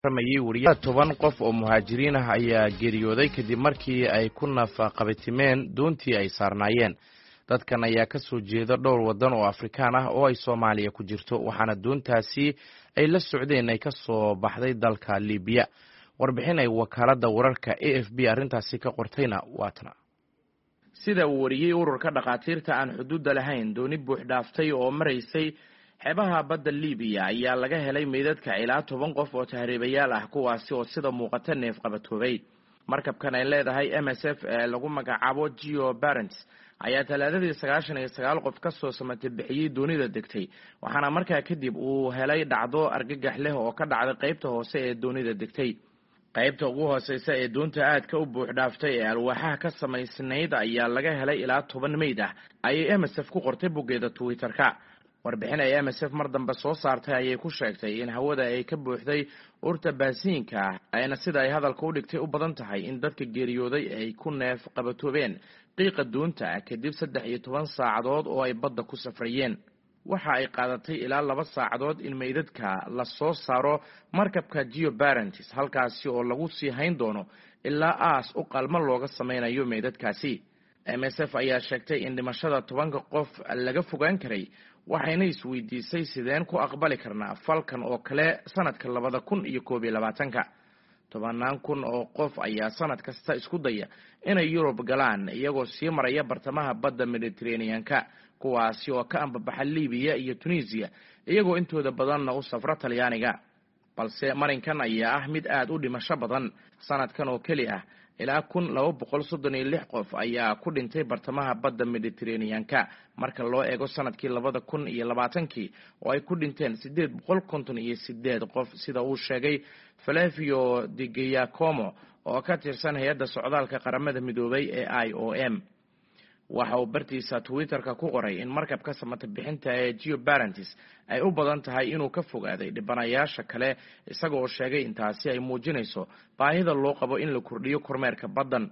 Wariya 10 qof oo muhaajiriin ah ayaa geeriyooday kadib markii ay ku nafaqabatimeen doontii ay saarnaayeen. Dadkan ayaa ka soo jeeda dhowr waddan oo Afrikaan ah oo ay Soomaaliya ku jirto, waxaana doontaasi ay la socdeen ay ka soo baxday dalka Liibiya. Warbixin ay wakaaladda wararka AFP arrintaasi ka qortayna waatana. Sida uu wariyey ururka Dhakhaatiirta Aan Xuduudda Lahayn, dooni buux dhaaftay oo maraysay xeebaha badda Liibiya ayaa laga helay meydadka ilaa 10 qof oo tahriibayaal ah, kuwaasi oo sida muuqata neef qabatoobay. Markabkan ay leedahay MSF ee lagu magacaabo Geo Barents ayaa Talaadadii 99 qof ka soo samata bixiyey doonida degtay, waxaana markaa kadib uu helay dhacdo argagax leh oo ka dhacday qaybta hoose ee doonida degtay. Qaybta ugu hooseysa ee doonta aadka u buux dhaaftay ee alwaaxaha ka samaysnayd ayaa laga helay ilaa 10 meyd ah, ayay MSF ku qortay boggeeda Twitter-ka. Warbixin ay MSF mar dambe soo saartay ayay ku sheegtay in hawada ay ka buuxday urta baasiinka ah, ayna sida ay hadalka u dhigtay u badan tahay in dadka geeriyooday ay ku neef qabatoobeen qiiqa doonta kadib 13 saacadood oo ay badda ku safrayeen. Waxa ay qaadatay ilaa 2 saacadood in meydadka la soo saaro markabka Geo Barents, halkaasi oo lagu sii hayn doono ilaa aas u qalmo looga sameynayo meydadkaasi. MSF ayaa sheegtay in dhimashada 10-ka qof laga fogaan karay, waxayna isweydiisay: sideen ku aqbali karnaa falkan oo kale sanadka 2021-ka? Tobannaan kun oo qof ayaa sanad kasta isku daya inay Yurub galaan iyagoo sii maraya bartamaha badda Mediteraneanka, kuwaasi oo ka ambabaxa Libiya iyo Tunisiya, iyagoo intooda badanna u safra Talyaaniga. Balse marinkan ayaa ah mid aad u dhimasho badan. Sanadkan oo keli ah ilaa 1236 qof ayaa ku dhintay bartamaha badda Mediteraneanka, marka loo eego sanadkii 2020-kii oo ay ku dhinteen 858 qof, sida uu sheegay Flavio Di Giacomo oo ka tirsan hay-adda socdaalka Qaramada Midoobay ee IOM. Waxa uu bartiisa Twitter-ka ku qoray in markabka samata bixinta ee Geo Barents ay u badan tahay inuu ka fogaaday dhibanayaasha kale, isagaoo sheegay intaasi ay muujinayso baahida loo qabo in la kordhiyo kormeerka baddan.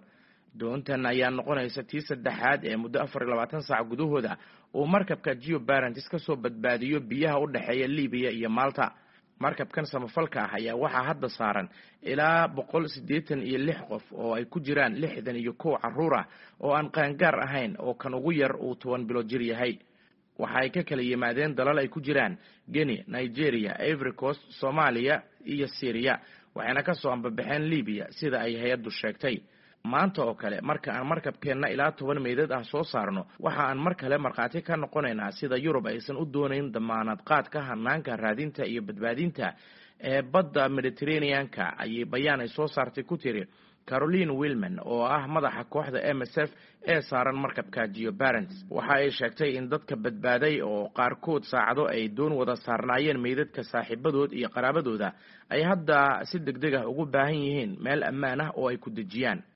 Doontan ayaa noqonaysa tii saddexaad ee muddo 24 saac gudahooda uu markabka Geo Barents kasoo badbaadiyo biyaha u dhexeeya Libiya iyo Malta. Markabkan samafalka ah ayaa waxaa hadda saaran ilaa 186 qof, oo ay ku jiraan 61 caruur ah oo aan qaangaar ahayn, oo kan ugu yar uu 10 bilood jir yahay. Waxa ay ka kala yimaadeen dalal ay ku jiraan Guinea, Nigeria, Ivory Coast, Soomaaliya iyo Syriya, waxayna kasoo ambabaxeen Libiya, sida ay hay-addu sheegtay. Maanta oo kale, marka aan markabkeenna ilaa 10 meydad ah soo saarno, waxa aan mar kale markhaati ka noqonaynaa sida Yurub aysan u doonayn damaanad qaadka hanaanka raadinta iyo badbaadinta ee badda Mediteraneanka, ayay bayaan ay soo saartay ku tiri Caroline Wilman oo ah madaxa kooxda MSF ee saaran markabka Geo Barents. Waxa ay sheegtay in dadka badbaaday, oo qaarkood saacado ay doon wada saarnaayeen meydadka saaxiibadood iyo qaraabadooda, ay hadda si deg deg ah ugu baahan yihiin meel ammaan ah oo ay ku dejiyaan.